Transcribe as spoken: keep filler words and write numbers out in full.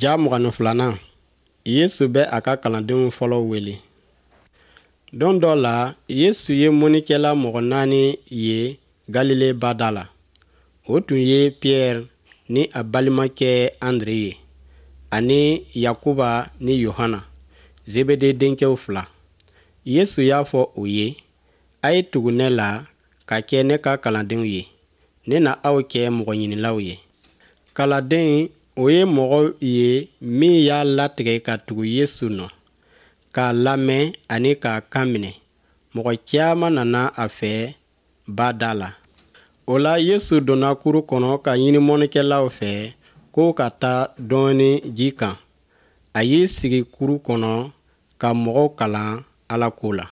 Ja mugan ni filanan Yesu bɛ a ka kalandenw fɔlɔw wele. Don dɔ la, Yesu ye mɔnnikɛla mɔgɔ naani ye Galile ba da la. O tun ye Pierɛ ni a balimakɛ Andre ye, ani Yakuba ni Yohana, Zebede denkɛw fila. Yesu y'a fɔ u ye, A ye tugu ne la ka kɛ ne ka kalandenw ye. Ne na aw kɛ mɔgɔɲinilaw ye. Kalanden, o ye mɔgɔ ye min y'a latigɛ ka tugu Yesu nɔ, k'a lamɛn ani k'a kan minɛ. Mɔgɔ caman nana a fɛ ba da la. O la, Yesu donna kuru kɔnɔ ka ɲini mɔnnikɛlaw fɛ k'o ka taa dɔɔnin ji kan. A y'i sigi kuru kɔnɔ ka mɔgɔw kalan Ala ko la.